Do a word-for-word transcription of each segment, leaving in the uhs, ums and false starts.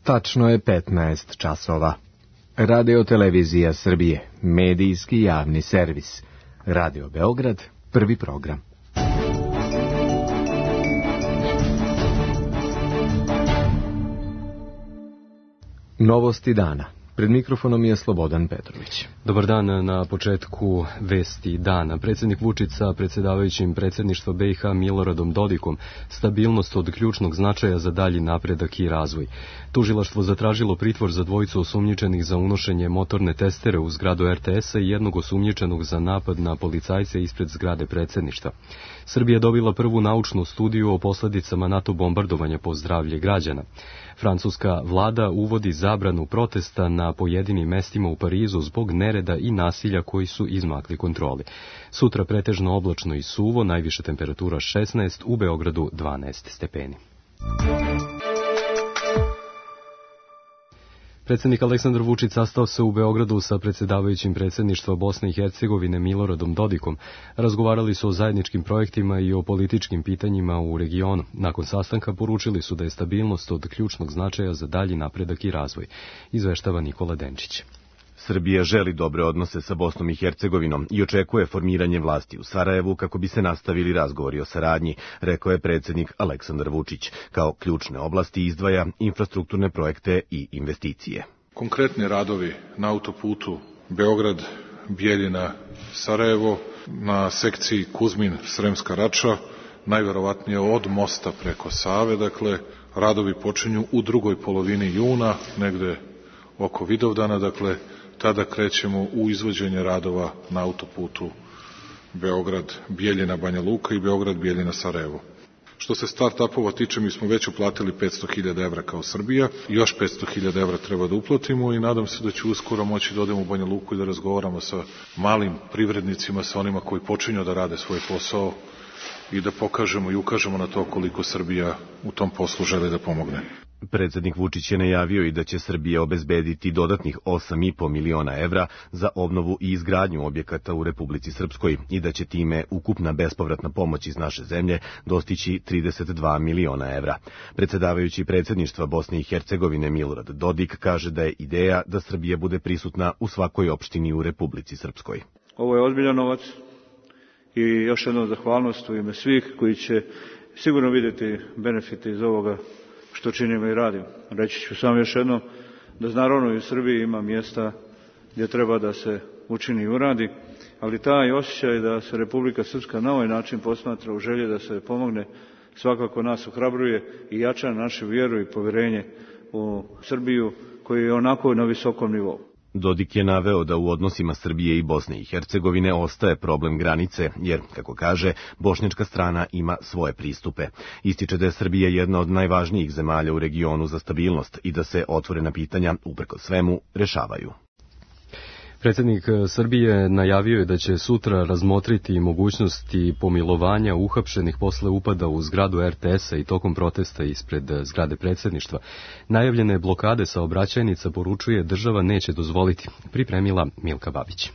Tačno je petnaest časova. Radio Televizija Srbije, medijski javni servis. Radio Beograd, prvi program. Novosti dana. Pred mikrofonom je Slobodan Petrović. Dobar dan. Na početku vesti dana. Predsjednik Vučić sa predsjedavajućim predsjedništva B i H Miloradom Dodikom stabilnost od ključnog značaja za dalji napredak i razvoj. Tužilaštvo zatražilo pritvor za dvojicu osumnjičenih za unošenje motorne testere u zgradu R T S-a i jednog osumnjičenog za napad na policajce ispred zgrade predsjedništva. Srbija je dobila prvu naučnu studiju o posljedicama NATO bombardovanja po zdravlje građana. Francuska vlada uvodi zabranu protesta na pojedinim mestima u Parizu zbog nereda i nasilja koji su izmakli kontroli. Sutra pretežno oblačno i suvo, najviša temperatura šesnaest, u Beogradu dvanaest stepeni. Predsjednik Aleksandar Vučić sastao se u Beogradu sa predsjedavajućim predsjedništva Bosne i Hercegovine Miloradom Dodikom. Razgovarali su o zajedničkim projektima i o političkim pitanjima u regionu. Nakon sastanka poručili su da je stabilnost od ključnog značaja za dalji napredak i razvoj, izveštava Nikola Denčić. Srbija želi dobre odnose sa Bosnom i Hercegovinom i očekuje formiranje vlasti u Sarajevu kako bi se nastavili razgovori o saradnji, rekao je predsjednik Aleksandar Vučić. Kao ključne oblasti izdvaja infrastrukturne projekte i investicije. Konkretni radovi na autoputu Beograd, Bijeljina, Sarajevo, na sekciji Kuzmin-Sremska Rača, najverovatnije od mosta preko Save, dakle, radovi počinju u drugoj polovini juna, negde oko Vidovdana, dakle, tada krećemo u izvođenje radova na autoputu Beograd, Bijeljina, Banja Luka i Beograd, Bijeljina, Sarajevo. Što se start-upova tiče, mi smo već uplatili petsto hiljada evra kao Srbija, još petsto hiljada evra treba da uplatimo i nadam se da ću uskoro moći da odemo u Banja Luku i da razgovaramo sa malim privrednicima, sa onima koji počinju da rade svoj posao i da pokažemo i ukažemo na to koliko Srbija u tom poslu želi da pomogne. Predsjednik Vučić je najavio i da će Srbija obezbediti dodatnih osam i po miliona evra za obnovu i izgradnju objekata u Republici Srpskoj i da će time ukupna bespovratna pomoć iz naše zemlje dostići trideset dva miliona evra. Predsjedavajući predsjedništva Bosne i Hercegovine Milorad Dodik kaže da je ideja da Srbija bude prisutna u svakoj opštini u Republici Srpskoj. Ovo je ozbiljan novac i još jednom zahvalnost u ime svih koji će sigurno vidjeti benefite iz ovoga što činimo i radimo. Reći ću samo još jednom da naravno i u Srbiji ima mjesta gdje treba da se učini i uradi, ali taj osjećaj da se Republika Srpska na ovaj način posmatra u želji da se pomogne svakako nas ohrabruje i jača našu vjeru i povjerenje u Srbiju koji je onako na visokom nivou. Dodik je naveo da u odnosima Srbije i Bosne i Hercegovine ostaje problem granice, jer, kako kaže, bošnjačka strana ima svoje pristupe. Ističe da je Srbija jedna od najvažnijih zemalja u regionu za stabilnost i da se otvorena pitanja, uprkos svemu, rešavaju. Predsjednik Srbije najavio je da će sutra razmotriti mogućnosti pomilovanja uhapšenih posle upada u zgradu R T S-a i tokom protesta ispred zgrade predsjedništva. Najavljene blokade saobraćajnica, poručuje, država neće dozvoliti, pripremila Milka Babić.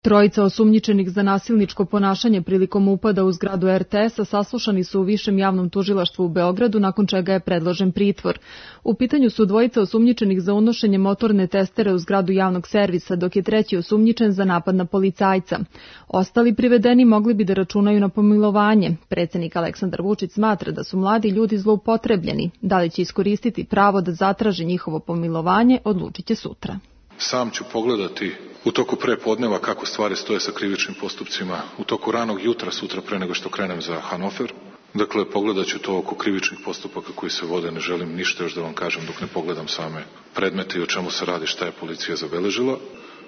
Trojica osumnjičenih za nasilničko ponašanje prilikom upada u zgradu R T S-a saslušani su u Višem javnom tužilaštvu u Beogradu, nakon čega je predložen pritvor. U pitanju su dvojica osumnjičenih za unošenje motorne testere u zgradu javnog servisa, dok je treći osumnjičen za napad na policajca. Ostali privedeni mogli bi da računaju na pomilovanje. Predsjednik Aleksandar Vučić smatra da su mladi ljudi zloupotrebljeni. Da li će iskoristiti pravo da zatraže njihovo pomilovanje, odlučit će sutra. Sam ću pogledati u toku prepodneva kako stvari stoje sa krivičnim postupcima, u toku ranog jutra sutra pre nego što krenem za Hanover. Dakle, pogledat ću to oko krivičnih postupaka koji se vode, ne želim ništa još da vam kažem dok ne pogledam same predmete i o čemu se radi, šta je policija zabeležila.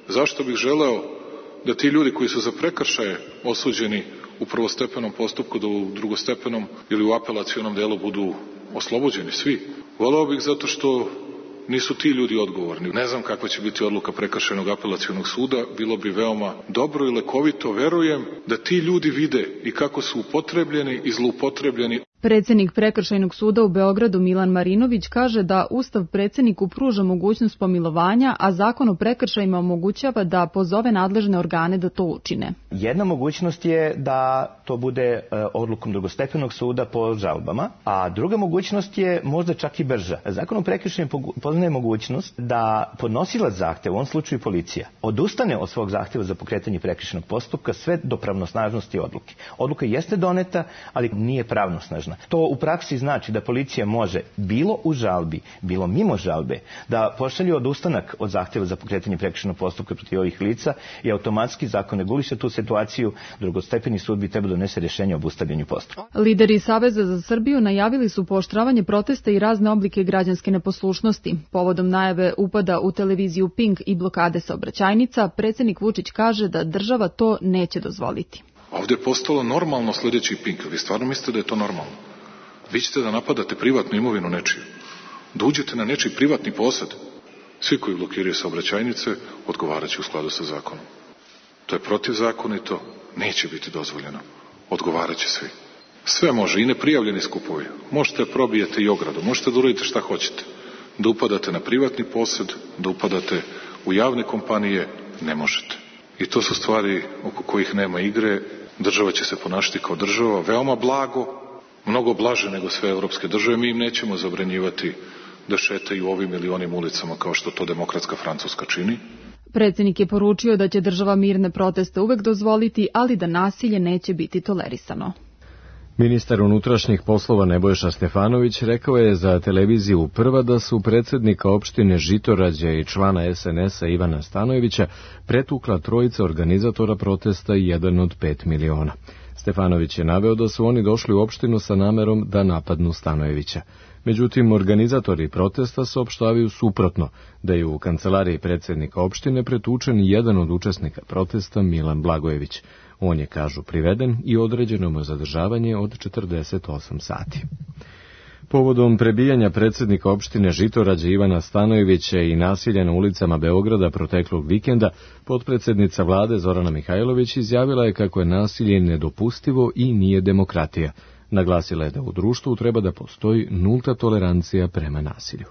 Zašto bih želeo da ti ljudi koji su za prekršaje osuđeni u prvostepenom postupku, da u drugostepenom ili u apelacionom delu budu oslobođeni svi? Voleo bih zato što nisu ti ljudi odgovorni. Ne znam kakva će biti odluka prekršajnog apelacionog suda, bilo bi veoma dobro i lekovito, verujem da ti ljudi vide i kako su upotrebljeni i zloupotrebljeni. Predsednik Prekršajnog suda u Beogradu Milan Marinović kaže da Ustav predsedniku pruža mogućnost pomilovanja, a Zakon o prekršajima omogućava da pozove nadležne organe da to učine. Jedna mogućnost je da to bude odlukom drugostepenog suda po žalbama, a druga mogućnost je možda čak i brža. Zakon o prekršajima poznaje mogućnost da podnosilac zahteva, u ovom slučaju policija, odustane od svog zahteva za pokretanje prekršajnog postupka sve do pravnosnažnosti odluke. Odluka jeste doneta, ali nije pravnosnažna. To u praksi znači da policija može bilo u žalbi, bilo mimo žalbe, da pošalje odustanak od zahteva za pokretanje prekršajnog postupka protiv ovih lica i automatski zakon reguliše tu situaciju, drugostepeni sud bi trebao donese rješenje o obustavljanju postupka. Lideri Saveza za Srbiju najavili su pooštravanje protesta i razne oblike građanske neposlušnosti. Povodom najave upada u televiziju Pink i blokade saobraćajnica, predsednik Vučić kaže da država to neće dozvoliti. Ovdje je postalo normalno sljedeći Pink. Vi stvarno mislite da je to normalno? Vi ćete da napadate privatnu imovinu nečiju, da uđete na nečiji privatni posed. Svi koji blokiraju saobraćajnice odgovarat će u skladu sa zakonom. To je protivzakonito, neće biti dozvoljeno. Odgovarat će svi. Sve može, i neprijavljeni skupovi. Možete probijete i ogradu, možete da uradite šta hoćete. Da upadate na privatni posed, da upadate u javne kompanije, ne možete. I to su stvari oko kojih nema igre. Država će se ponašati kao država, veoma blago, mnogo blaže nego sve evropske države. Mi im nećemo zabranjivati da šetaju ovim ili onim ulicama kao što to demokratska Francuska čini. Predsednik je poručio da će država mirne proteste uvek dozvoliti, ali da nasilje neće biti tolerisano. Ministar unutrašnjih poslova Nebojša Stefanović rekao je za televiziju Prva da su predsednika opštine Žitorađe i člana es en es a Ivana Stanojevića pretukla trojica organizatora protesta i jedan od pet miliona. Stefanović je naveo da su oni došli u opštinu sa namerom da napadnu Stanojevića. Međutim, organizatori protesta saopštavaju suprotno, da je u kancelariji predsednika opštine pretučen jedan od učesnika protesta, Milan Blagojević. On je, kažu, priveden i određeno mu zadržavanje od četrdeset osam sati. Povodom prebijanja predsednika opštine Žitorađe Ivana Stanojevića i nasilja na ulicama Beograda proteklog vikenda, potpredsednica vlade Zorana Mihajlović izjavila je kako je nasilje nedopustivo i nije demokratija. Naglasila je da u društvu treba da postoji nulta tolerancija prema nasilju.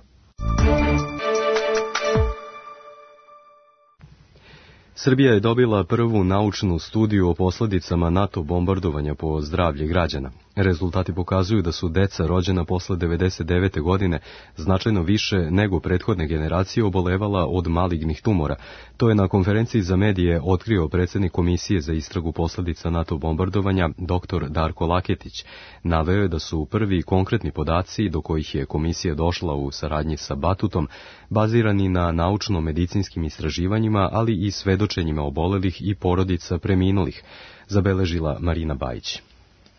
Srbija je dobila prvu naučnu studiju o posledicama NATO bombardovanja po zdravlje građana. Rezultati pokazuju da su deca rođena posle devedeset devete godine značajno više nego prethodne generacije obolevala od malignih tumora. To je na konferenciji za medije otkrio predsednik Komisije za istragu posledica NATO bombardovanja dr Darko Laketić. Naveo je da su prvi konkretni podaci do kojih je komisija došla u saradnji sa Batutom bazirani na naučno-medicinskim istraživanjima, ali i svedočenjima obolelih i porodica preminulih, zabeležila Marina Bajić.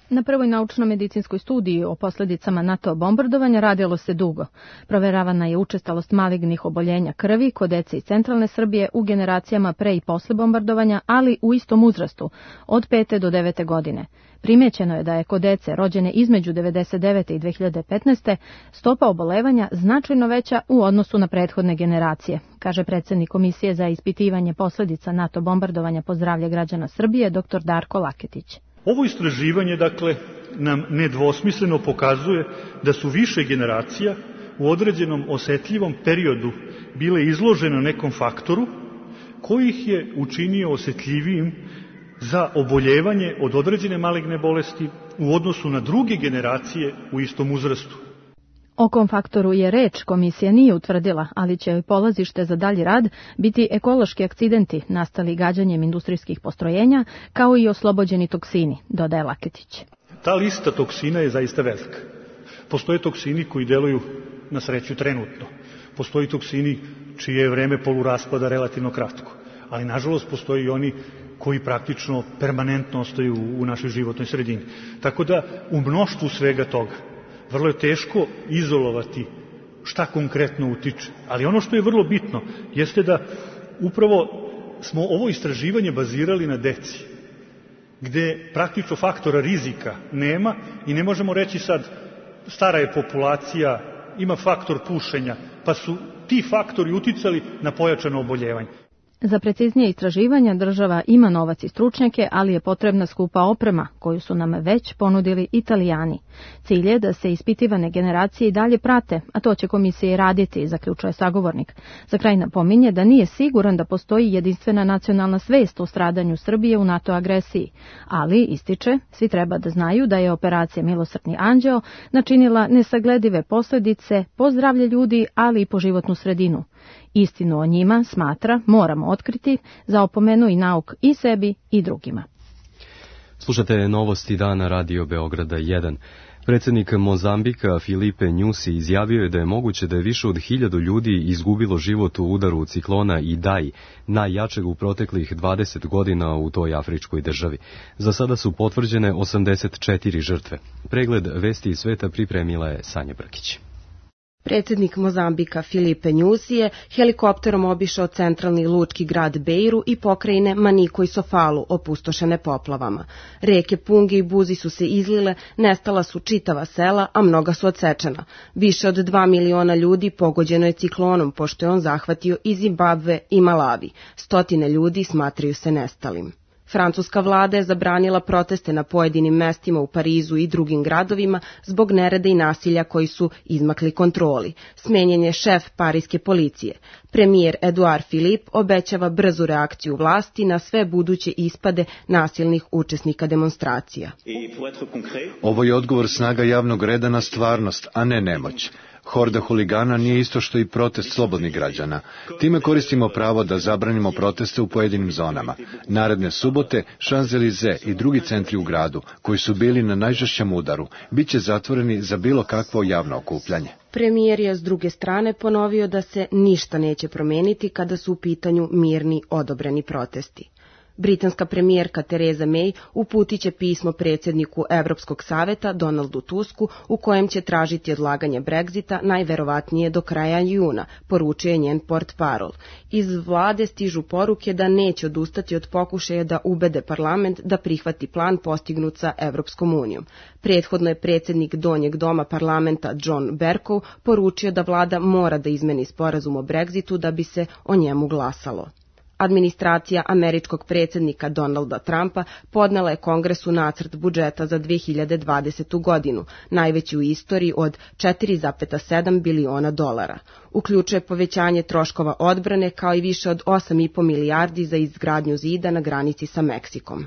Na prvoj naučno-medicinskoj studiji o posledicama NATO bombardovanja radilo se dugo. Proveravana je učestalost malignih oboljenja krvi kod dece iz centralne Srbije u generacijama pre i posle bombardovanja, ali u istom uzrastu, od pete do devete godine. Primećeno je da je kod dece rođene između devedeset devete i dve hiljade petnaeste. stopa obolevanja značajno veća u odnosu na prethodne generacije, kaže predsednik Komisije za ispitivanje posledica NATO bombardovanja po zdravlje građana Srbije dr Darko Laketić. Ovo istraživanje, dakle, nam nedvosmisleno pokazuje da su više generacija u određenom osetljivom periodu bile izložene nekom faktoru koji ih je učinio osetljivijim za oboljevanje od određene maligne bolesti u odnosu na druge generacije u istom uzrastu. O kom faktoru je reč, komisija nije utvrdila, ali će polazište za dalji rad biti ekološki akcidenti nastali gađanjem industrijskih postrojenja, kao i oslobođeni toksini, dodaje Laketić. Ta lista toksina je zaista velika. Postoje toksini koji deluju na sreću trenutno. Postoji toksini čije je vreme poluraspada relativno kratko. Ali, nažalost, postoji i oni koji praktično permanentno ostaju u našoj životnoj sredini. Tako da, u mnoštvu svega toga, vrlo je teško izolovati šta konkretno utiče. Ali ono što je vrlo bitno jeste da upravo smo ovo istraživanje bazirali na deci, gde praktično faktora rizika nema i ne možemo reći sad stara je populacija, ima faktor pušenja, pa su ti faktori uticali na pojačano oboljevanje. Za preciznije istraživanja država ima novac i stručnjake, ali je potrebna skupa oprema, koju su nam već ponudili Italijani. Cilj je da se ispitivane generacije i dalje prate, a to će komisija i raditi, zaključuje sagovornik. Za kraj napominje da nije siguran da postoji jedinstvena nacionalna svest o stradanju Srbije u NATO agresiji, ali, ističe, svi treba da znaju da je operacija Milosrdni anđeo načinila nesagledive posledice po zdravlje ljudi, ali i po životnu sredinu. Istinu o njima, smatra, moramo otkriti, zaopomenu i nauk i sebi i drugima. Slušate novosti dana Radio Beograda jedan. Predsjednik Mozambika Filipe Nyusi izjavio je da je moguće da je više od hiljadu ljudi izgubilo život u udaru ciklona Idai, najjačeg u proteklih dvadeset godina u toj afričkoj državi. Za sada su potvrđene osamdeset četiri žrtve. Pregled vesti iz sveta pripremila je Sanja Brkić. Predsjednik Mozambika Filipe Nyusi je helikopterom obišao centralni lučki grad Beiru i pokrajine Maniko i Sofalu, opustošene poplavama. Reke Pungi i Buzi su se izlile, nestala su čitava sela, a mnoga su odsečena. Više od dva miliona ljudi pogođeno je ciklonom, pošto je on zahvatio i Zimbabve i Malavi. Stotine ljudi smatraju se nestalim. Francuska vlada je zabranila proteste na pojedinim mestima u Parizu i drugim gradovima zbog nereda i nasilja koji su izmakli kontroli. Smenjen je šef parijske policije. Premijer Edouard Philippe obećava brzu reakciju vlasti na sve buduće ispade nasilnih učesnika demonstracija. Ovo je odgovor snaga javnog reda na stvarnost, a ne nemoć. Horda huligana nije isto što i protest slobodnih građana. Time koristimo pravo da zabranimo proteste u pojedinim zonama. Naredne subote, Champs-Élysées i drugi centri u gradu, koji su bili na najžešćem udaru, bit će zatvoreni za bilo kakvo javno okupljanje. Premijer je s druge strane ponovio da se ništa neće promeniti kada su u pitanju mirni odobreni protesti. Britanska premijerka Theresa May uputit će pismo predsjedniku Evropskog saveta Donaldu Tusku u kojem će tražiti odlaganje Brexita najverovatnije do kraja juna, poručuje njen portparol. Iz vlade stižu poruke da neće odustati od pokušaja da ubede parlament da prihvati plan postignut sa Evropskom unijom. Prethodno je predsjednik Donjeg doma parlamenta John Bercow poručio da vlada mora da izmeni sporazum o Brexitu da bi se o njemu glasalo. Administracija američkog predsjednika Donalda Trumpa podnela je Kongresu nacrt budžeta za dve hiljade dvadesetu. godinu, najveći u istoriji od četiri zarez sedam biliona dolara. Uključuje povećanje troškova odbrane kao i više od osam i po milijardi za izgradnju zida na granici sa Meksikom.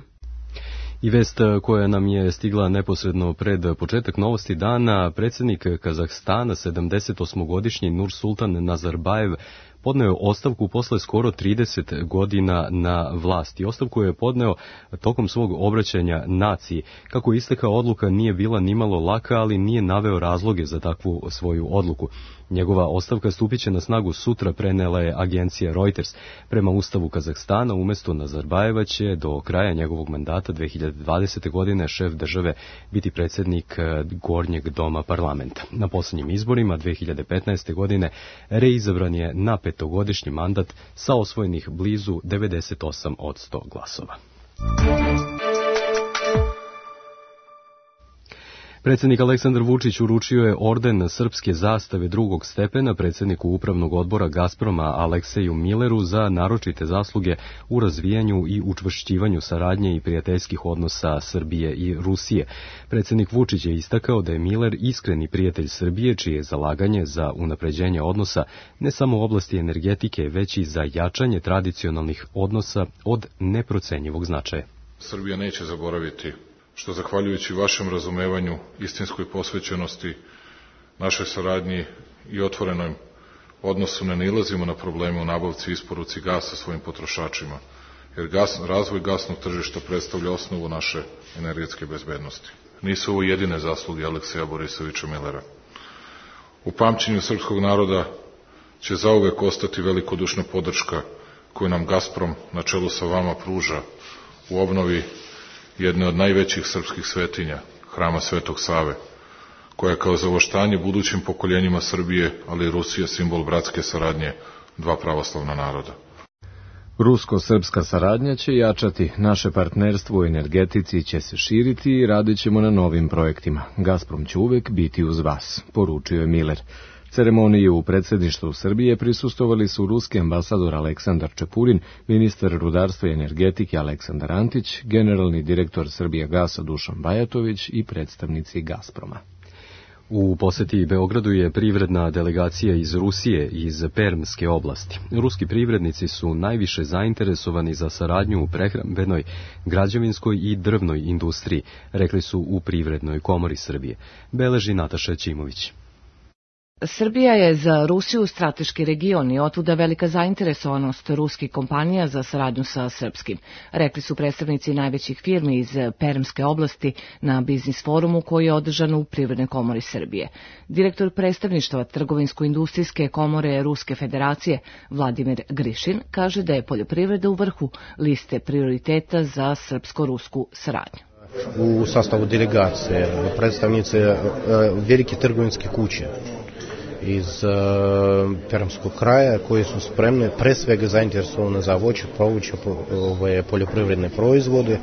I vest koja nam je stigla neposredno pred početak novosti dana, predsjednik Kazahstana, sedamdesetosmogodišnji Nursultan Nazarbajev, podneo ostavku posle skoro trideset godina na vlasti. Ostavku je podneo tokom svog obraćanja naciji. Kako je istekla odluka nije bila nimalo laka, ali nije naveo razloge za takvu svoju odluku. Njegova ostavka stupit će na snagu sutra, prenela je agencija Reuters. Prema ustavu Kazahstana, umjesto Nazarbajeva će do kraja njegovog mandata dve hiljade dvadesete. godine šef države biti predsjednik Gornjeg doma parlamenta. Na posljednjim izborima dve hiljade petnaeste. godine reizabran je na petogodišnji mandat sa osvojenih blizu devedeset osam posto glasova. Predsjednik Aleksandar Vučić uručio je orden srpske zastave drugog stepena predsjedniku upravnog odbora Gazproma Alekseju Milleru za naročite zasluge u razvijanju i učvršćivanju saradnje i prijateljskih odnosa Srbije i Rusije. Predsjednik Vučić je istakao da je Miller iskreni prijatelj Srbije, čije je zalaganje za unapređenje odnosa ne samo u oblasti energetike, već i za jačanje tradicionalnih odnosa od neprocenjivog značaja. Srbija neće zaboraviti što zahvaljujući vašem razumevanju, istinskoj posvećenosti, našoj saradnji i otvorenom odnosu ne nailazimo na probleme u nabavci i isporuci gasa svojim potrošačima, jer gas, razvoj gasnog tržišta predstavlja osnovu naše energetske bezbednosti. Nisu ovo jedine zasluge Alekseja Borisovića Millera. U pamćenju srpskog naroda će zauvek ostati velikodušna podrška koju nam Gazprom na čelu sa vama pruža u obnovi jedne od najvećih srpskih svetinja, hrama Svetog Save, koja je kao zavoštanje budućim pokoljenjima Srbije, ali i Rusije, simbol bratske saradnje dva pravoslavna naroda. Rusko-srpska saradnja će jačati, naše partnerstvo u energetici će se širiti i radit ćemo na novim projektima. Gazprom će uvek biti uz vas, poručio je Miller. Ceremoniji u predsjedništvu Srbije prisustovali su ruski ambasador Aleksandar Čepurin, ministar rudarstva i energetike Aleksandar Antić, generalni direktor Srbijagasa Dušan Bajatović i predstavnici Gazproma. U poseti Beogradu je privredna delegacija iz Rusije i iz Permske oblasti. Ruski privrednici su najviše zainteresovani za saradnju u prehrambenoj, građevinskoj i drvnoj industriji, rekli su u Privrednoj komori Srbije. Beleži Nataša Ćimović. Srbija je za Rusiju strateški region i otuda velika zainteresovanost ruskih kompanija za saradnju sa srpskim, rekli su predstavnici najvećih firmi iz Permske oblasti na biznis forumu koji je održan u Privrednoj komori Srbije. Direktor predstavništva Trgovinsko-industrijske komore Ruske federacije Vladimir Grišin kaže da je poljoprivreda u vrhu liste prioriteta za srpsko-rusku saradnju. U sastavu delegacije predstavnice velike trgovinske kuće iz uh, Permskog kraja koji su spremne, pre svega zainteresovane za voće, povrće, ove poljoprivredne proizvode,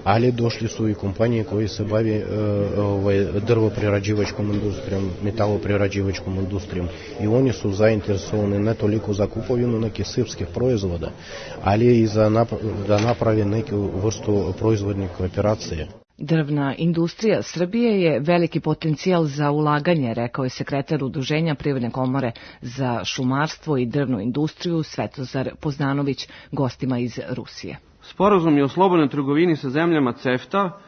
ali došli su i kompanije koji se bavi uh, drvoprerađivačkom industrijom, metaloprerađivačkom industrijom i oni su zainteresovani ne toliko za kupovinu nekih srpskih proizvoda, ali i za nap da napravi neku vrstu proizvodnih kooperacije. Drvna industrija Srbije je veliki potencijal za ulaganje, rekao je sekretar Udruženja Privredne komore za šumarstvo i drvnu industriju Svetozar Poznanović gostima iz Rusije. Sporazumi o slobodnoj trgovini sa zemljama CEFTA,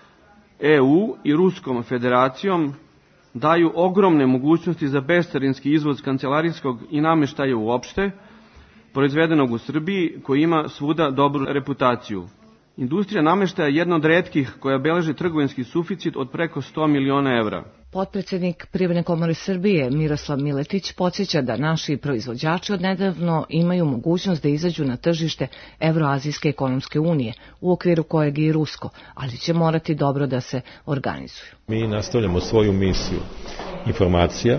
E U i Ruskom federacijom daju ogromne mogućnosti za bescarinski izvoz kancelarijskog i nameštaja uopšte, proizvedenog u Srbiji, koji ima svuda dobru reputaciju. Industrija nameštaja je jedna od retkih koja beleži trgovinski suficit od preko sto miliona evra. Potpredsednik Privredne komore Srbije Miroslav Miletić podsjeća da naši proizvođači odnedavno imaju mogućnost da izađu na tržište Evroazijske ekonomske unije, u okviru kojeg je i rusko, ali će morati dobro da se organizuju. Mi nastavljamo svoju misiju informacija,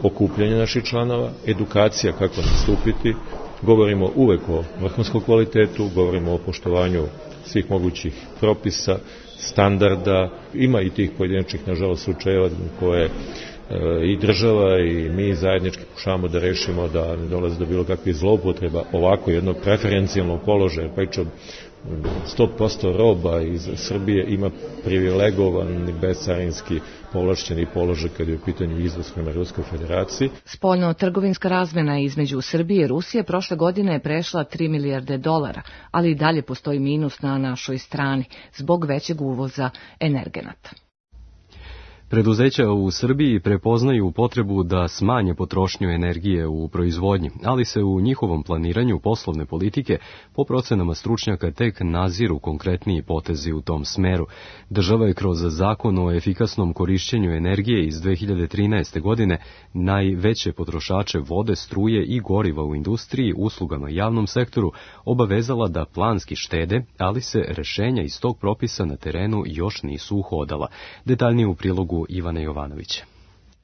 okupljanje naših članova, edukacija kako nastupiti, govorimo uvek o vrhunskom kvalitetu, govorimo o poštovanju svih mogućih propisa, standarda, ima i tih pojedinačnih, nažalost, slučajeva koje e, i država i mi zajednički pokušavamo da rešimo da ne dolaze do bilo kakvih zloupotreba ovako jednog preferencijalnog položaja, pa iče sto posto roba iz Srbije ima privilegovan bescarinski povlašćeni položaj kad je u pitanju izvoz prema Ruskoj federaciji. Spoljno-trgovinska razmena između Srbije i Rusije prošle godine je prešla tri milijarde dolara, ali i dalje postoji minus na našoj strani zbog većeg uvoza energenata. Preduzeća u Srbiji prepoznaju potrebu da smanje potrošnju energije u proizvodnji, ali se u njihovom planiranju poslovne politike po procenama stručnjaka tek naziru konkretniji potezi u tom smeru. Država je kroz zakon o efikasnom korišćenju energije iz dve hiljade trinaeste. godine najveće potrošače vode, struje i goriva u industriji, uslugama i javnom sektoru obavezala da planski štede, ali se rešenja iz tog propisa na terenu još nisu uhodala. Detaljnije u prilogu Ivana Jovanovića.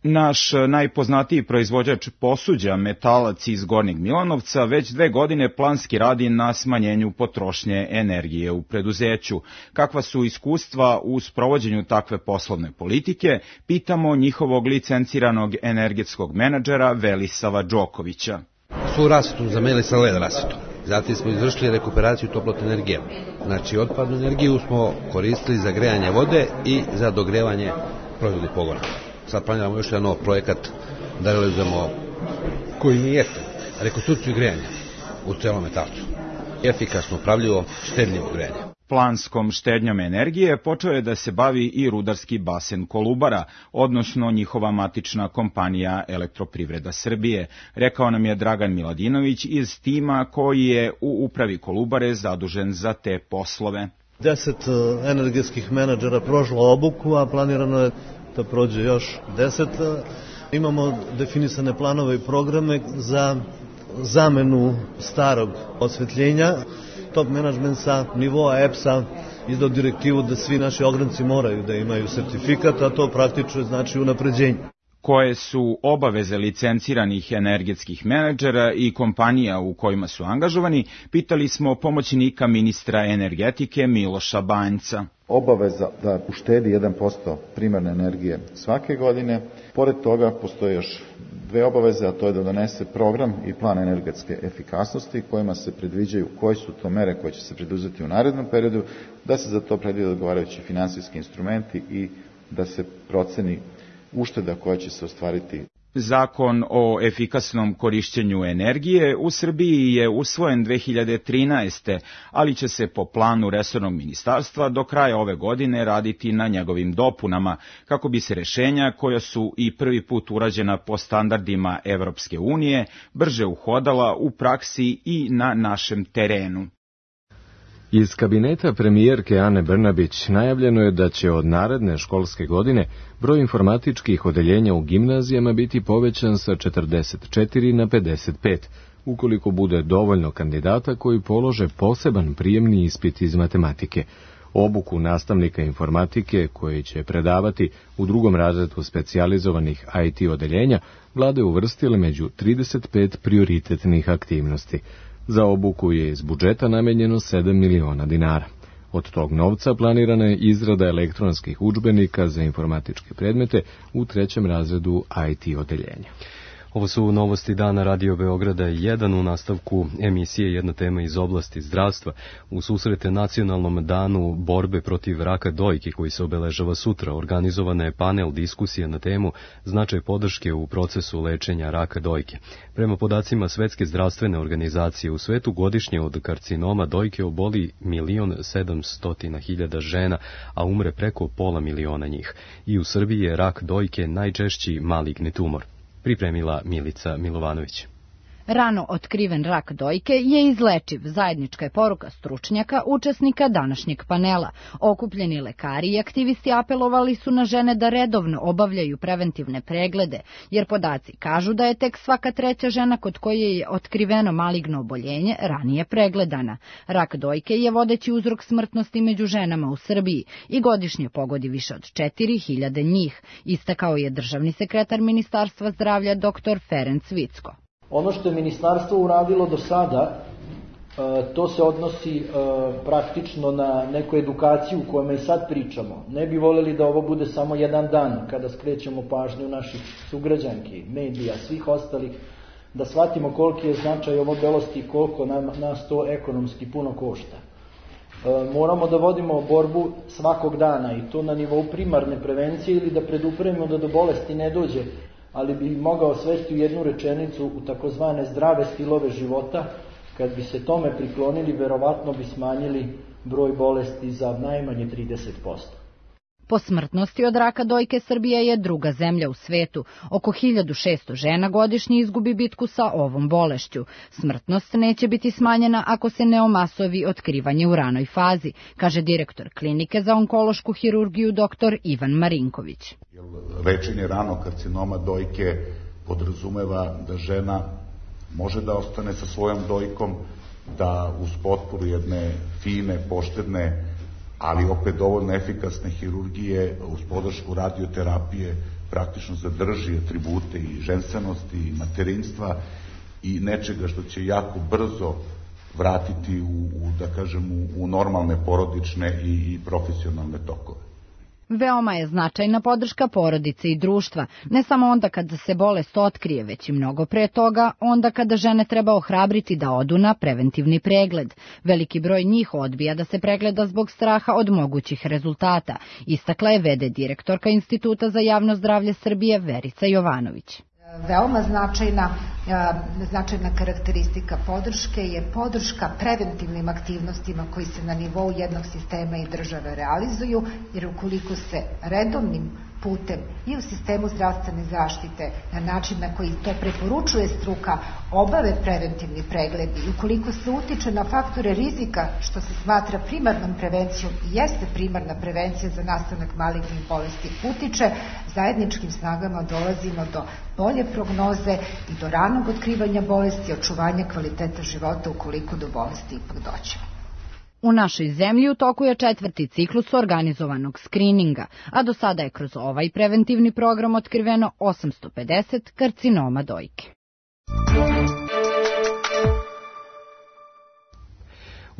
Naš najpoznatiji proizvođač posuđa, Metalac iz Gornjeg Milanovca, već dve godine planski radi na smanjenju potrošnje energije u preduzeću. Kakva su iskustva u sprovođenju takve poslovne politike, pitamo njihovog licenciranog energetskog menadžera Velisava Đokovića. Svu rasvetu zamenili sa L E D rasvetom. Zatim smo izvršili rekuperaciju toplotne energije. Znači, otpadnu energiju smo koristili za grejanje vode i za dogrevanje proizvodnih pogona. Sad planiramo još jedan nov projekat da realizujemo koji nije jeftin, rekonstrukciju grejanja u celom Metalcu. Efikasno, upravljivo, štedljivo grejanje. Planskom štednjom energije počeo je da se bavi i rudarski basen Kolubara, odnosno njihova matična kompanija Elektroprivreda Srbije, rekao nam je Dragan Miladinović iz tima koji je u upravi Kolubare zadužen za te poslove. Deset energetskih menadžera prošlo obuku, a planirano je da prođe još deset. Imamo definisane planove i programe za zamenu starog osvetljenja. Top menadžment sa nivoa E P S-a izdao direktivu da svi naši ogranci moraju da imaju sertifikat, a to praktično znači unapređenje. Koje su obaveze licenciranih energetskih menadžera i kompanija u kojima su angažovani, pitali smo pomoćnika ministra energetike Miloša Banjca. Obaveza da uštedi jedan posto primarne energije svake godine. Pored toga postoje još dve obaveze, a to je da donese program i plan energetske efikasnosti kojima se predviđaju koje su to mere koje će se preduzeti u narednom periodu, da se za to predvide odgovarajući finansijski instrumenti i da se proceni ušteda koja će se ostvariti. Zakon o efikasnom korišćenju energije u Srbiji je usvojen dve hiljade trinaeste. ali će se po planu resornog ministarstva do kraja ove godine raditi na njegovim dopunama, kako bi se rešenja koja su i prvi put urađena po standardima Evropske unije brže uhodala u praksi i na našem terenu. Iz kabineta premijerke Ane Brnabić najavljeno je da će od naredne školske godine broj informatičkih odeljenja u gimnazijama biti povećan sa četrdeset četiri na pedeset pet, ukoliko bude dovoljno kandidata koji polože poseban prijemni ispit iz matematike. Obuku nastavnika informatike koji će predavati u drugom razredu specijalizovanih I T odeljenja vlade uvrstile među trideset pet prioritetnih aktivnosti. Za obuku je iz budžeta namenjeno sedam miliona dinara. Od tog novca planirana je izrada elektronskih udžbenika za informatičke predmete u trećem razredu I T odeljenja. Ovo su novosti dana Radio Beograda jedan. U nastavku emisije jedna tema iz oblasti zdravstva. U susrete nacionalnom danu borbe protiv raka dojke koji se obeležava sutra, organizovana je panel diskusija na temu značaj podrške u procesu lečenja raka dojke. Prema podacima Svetske zdravstvene organizacije, u svetu godišnje od karcinoma dojke oboli milion sedamstotina hiljada žena, a umre preko pola miliona njih. I u Srbiji je rak dojke najčešći maligni tumor. Pripremila Milica Milovanović. Rano otkriven rak dojke je izlečiv, zajednička je poruka stručnjaka, učesnika današnjeg panela. Okupljeni lekari i aktivisti apelovali su na žene da redovno obavljaju preventivne preglede, jer podaci kažu da je tek svaka treća žena kod koje je otkriveno maligno oboljenje ranije pregledana. Rak dojke je vodeći uzrok smrtnosti među ženama u Srbiji i godišnje pogodi više od četiri hiljade njih, istakao je državni sekretar Ministarstva zdravlja dr Ferenc Vicko. Ono što je ministarstvo uradilo do sada, to se odnosi praktično na neku edukaciju u kojoj sad pričamo. Ne bi voljeli da ovo bude samo jedan dan kada skrećemo pažnju naših sugrađanki, medija, svih ostalih, da shvatimo koliki je značaj ovo bolesti i koliko nam, nas to ekonomski puno košta. Moramo da vodimo borbu svakog dana i to na nivou primarne prevencije ili da predupremo da do bolesti ne dođe, ali bi mogao svesti u jednu rečenicu u takozvane zdrave stilove života. Kad bi se tome priklonili, verovatno bi smanjili broj bolesti za najmanje trideset posto. Po smrtnosti od raka dojke Srbija je druga zemlja u svetu. Oko hiljadu šesto žena godišnje izgubi bitku sa ovom bolešću. Smrtnost neće biti smanjena ako se ne omasovi otkrivanje u ranoj fazi, kaže direktor klinike za onkološku hirurgiju dr Ivan Marinković. Lečenje ranog karcinoma dojke podrazumeva da žena može da ostane sa svojom dojkom, da uz potporu jedne fine, poštedne, ali opet dovoljno efikasne hirurgije, uz podršku radioterapije, praktično zadrži atribute i ženstvenosti i materinstva i nečega što će jako brzo vratiti u, u da kažem, u, u normalne porodične i, i profesionalne tokove. Veoma je značajna podrška porodice i društva, ne samo onda kada se bolest otkrije, već i mnogo pre toga, onda kada žene treba ohrabriti da odu na preventivni pregled. Veliki broj njih odbija da se pregleda zbog straha od mogućih rezultata, istakla je ve de direktorka Instituta za javno zdravlje Srbije Verica Jovanović. Veoma značajna, značajna karakteristika podrške je podrška preventivnim aktivnostima koji se na nivou jednog sistema i države realizuju, jer ukoliko se redovnim putem i u sistemu zdravstvene zaštite na način na koji to preporučuje struka obave preventivni pregledi i ukoliko se utiče na faktore rizika što se smatra primarnom prevencijom i jeste primarna prevencija za nastanak malignih bolesti utiče, zajedničkim snagama dolazimo do bolje prognoze i do ranog otkrivanja bolesti i očuvanja kvaliteta života ukoliko do bolesti ipak dođe. U našoj zemlji u toku je četvrti ciklus organizovanog skrininga, a do sada je kroz ovaj preventivni program otkriveno osamsto pedeset karcinoma dojke.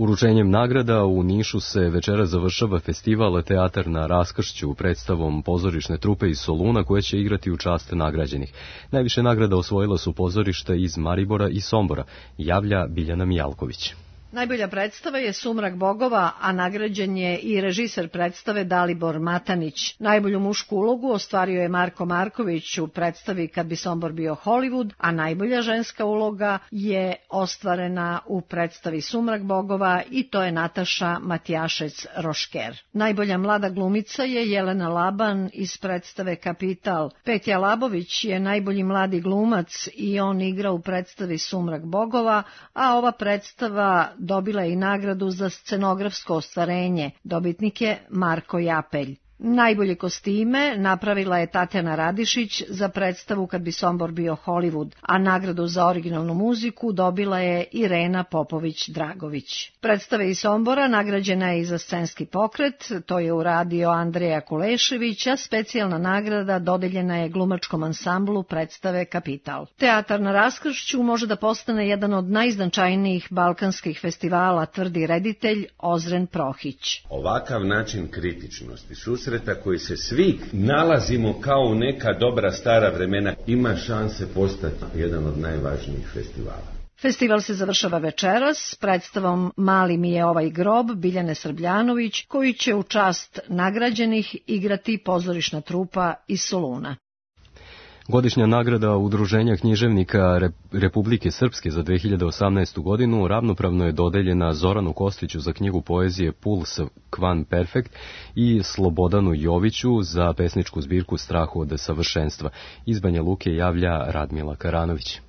Uručenjem nagrada u Nišu se večera završava festival Teatar na raskršću predstavom pozorišne trupe iz Soluna koje će igrati u čast nagrađenih. Najviše nagrada osvojila su pozorišta iz Maribora i Sombora, javlja Biljana Mijalković. Najbolja predstava je Sumrak bogova, a nagrađen je i režiser predstave Dalibor Matanić. Najbolju mušku ulogu ostvario je Marko Marković u predstavi Kad bi Sombor bio Hollywood, a najbolja ženska uloga je ostvarena u predstavi Sumrak bogova i to je Nataša Matijašec-Rošker. Najbolja mlada glumica je Jelena Laban iz predstave Kapital. Petja Labović je najbolji mladi glumac i on igra u predstavi Sumrak bogova, a ova predstava dobila je i nagradu za scenografsko ostvarenje. Dobitnik je Marko Japelj. Najbolje kostime napravila je Tatjana Radišić za predstavu Kad bi Sombor bio Hollywood, a nagradu za originalnu muziku dobila je Irena Popović-Dragović. Predstava iz Sombora nagrađena je i za scenski pokret, to je uradio Andreja Kulešević, a specijalna nagrada dodeljena je glumačkom ansamblu predstave Kapital. Teatar na raskršću može da postane jedan od najznačajnijih balkanskih festivala, tvrdi reditelj Ozren Prohić. Ovakav način kritičnosti, susret koji se svi nalazimo kao u neka dobra stara vremena, ima šanse postati jedan od najvažnijih festivala. Festival se završava večeras s predstavom Mali mi je ovaj grob Biljane Srbljanović, koji će u čast nagrađenih igrati pozorišna trupa iz Soluna. Godišnja nagrada Udruženja književnika Republike Srpske za dve hiljade osamnaestu. godinu ravnopravno je dodeljena Zoranu Kostiću za knjigu poezije Puls Kvan Perfekt i Slobodanu Joviću za pesničku zbirku Strahu od savršenstva. Iz Banja Luke javlja Radmila Karanović.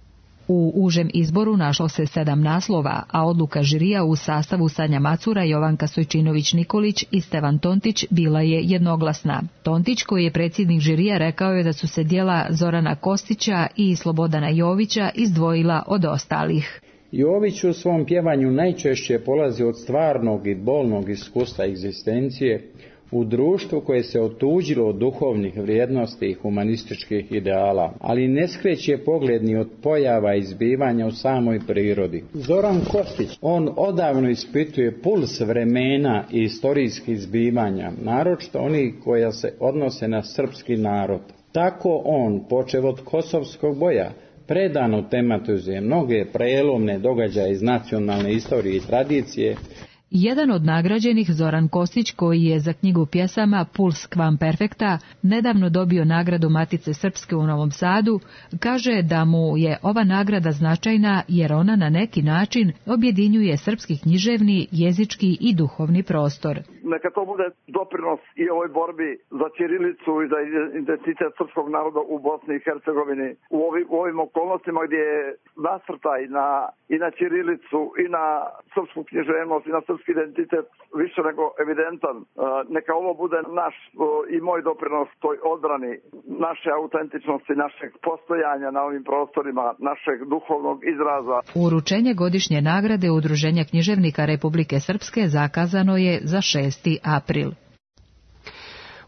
U užem izboru našlo se sedam naslova, a odluka žirija u sastavu Sanja Macura, Jovanka Stojčinović-Nikolić i Stevan Tontić bila je jednoglasna. Tontić, koji je predsjednik žirija, rekao je da su se djela Zorana Kostića i Slobodana Jovića izdvojila od ostalih. Jović u svom pjevanju najčešće polazi od stvarnog i bolnog iskustva egzistencije u društvu koje se otuđilo od duhovnih vrijednosti i humanističkih ideala, ali ne skreće pogled ni od pojava i zbivanja u samoj prirodi. Zoran Kostić, on odavno ispituje puls vremena i istorijskih zbivanja, naročito oni koja se odnose na srpski narod. Tako on, počev od kosovskog boja, predano tematizuje mnoge prelomne događaje iz nacionalne istorije i tradicije. Jedan od nagrađenih, Zoran Kostić, koji je za knjigu pjesama Puls Kvan Perfekta nedavno dobio nagradu Matice Srpske u Novom Sadu, kaže da mu je ova nagrada značajna jer ona na neki način objedinjuje srpski književni, jezički i duhovni prostor. Neka to bude doprinos i ovoj borbi za ćirilicu i za identitet srpskog naroda u Bosni i Hercegovini. U ovim, u ovim okolnostima gdje je nasrtaj na, i na ćirilicu i na srpsku književnost i na srpski identitet više nego evidentan. Neka ovo bude naš i moj doprinos toj odbrani naše autentičnosti, našeg postojanja na ovim prostorima, našeg duhovnog izraza. Uručenje godišnje nagrade Udruženja književnika Republike Srpske zakazano je za šesti april.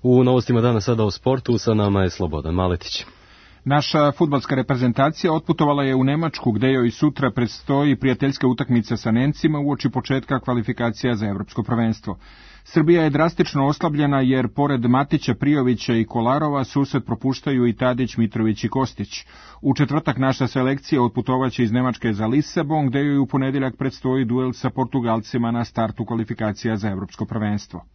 U novostima dana sada o sportu, sa nama je Slobodan Maletić. Naša fudbalska reprezentacija otputovala je u Nemačku, gde joj sutra predstoji prijateljska utakmica sa Nemcima uoči početka kvalifikacija za evropsko prvenstvo. Srbija je drastično oslabljena jer pored Matića, Prijovića i Kolarova susret propuštaju i Tadić, Mitrović i Kostić. U četvrtak naša selekcija otputovaće iz Nemačke za Lisabon, gde joj u ponedjeljak predstoji duel sa Portugalcima na startu kvalifikacija za evropsko prvenstvo.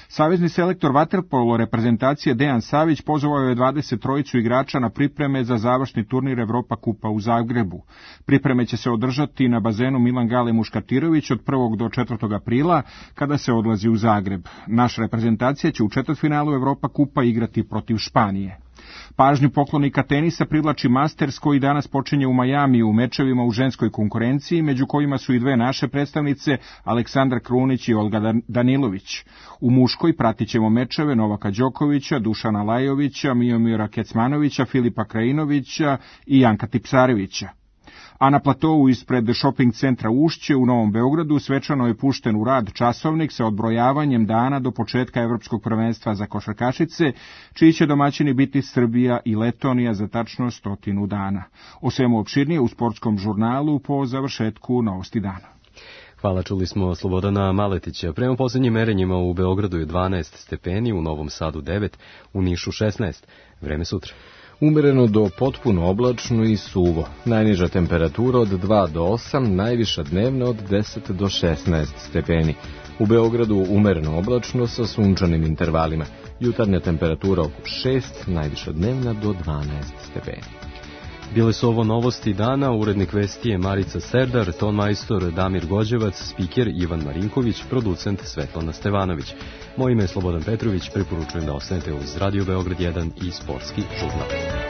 Savezni selektor vaterpolo reprezentacije Dejan Savić pozvao je dvadeset trojicu igrača na pripreme za završni turnir Evropa kupa u Zagrebu. Pripreme će se održati na bazenu Milan Gale Muškatirović od prvog do četvrtog aprila, kada se odlazi u Zagreb. Naša reprezentacija će u četvrtfinalu Evropa kupa igrati protiv Španije. Pažnju poklonika tenisa privlači Masters koji danas počinje u Majamiju u mečevima u ženskoj konkurenciji, među kojima su i dve naše predstavnice, Aleksandra Krunić i Olga Danilović. U muškoj pratit ćemo mečeve Novaka Đokovića, Dušana Lajovića, Miomira Kecmanovića, Filipa Krajinovića i Janka Tipsarevića. A na platovu ispred shopping centra Ušće u Novom Beogradu svečano je pušten u rad časovnik sa odbrojavanjem dana do početka Evropskog prvenstva za košarkašice, čiji će domaćini biti Srbija i Letonija za tačno stotinu dana. O svemu opširnije u sportskom žurnalu po završetku Novosti dana. Hvala, čuli smo Slobodana Maletića. Prema posljednjim merenjima u Beogradu je dvanaest stepeni, u Novom Sadu devet, u Nišu šesnaest. Vreme sutra. Umereno do potpuno oblačno i suvo. Najniža temperatura od dva do osam, najviša dnevna od deset do šesnaest stepeni. U Beogradu umereno oblačno sa sunčanim intervalima. Jutarnja temperatura oko šest, najviša dnevna do dvanaest stepeni. Bile su ovo novosti dana, urednik vesti je Marica Serdar, ton majstor Damir Gođevac, spiker Ivan Marinković, producent Svetlana Stevanović. Moje ime je Slobodan Petrović, preporučujem da ostanete uz Radio Beograd jedan i Sportski žurnal.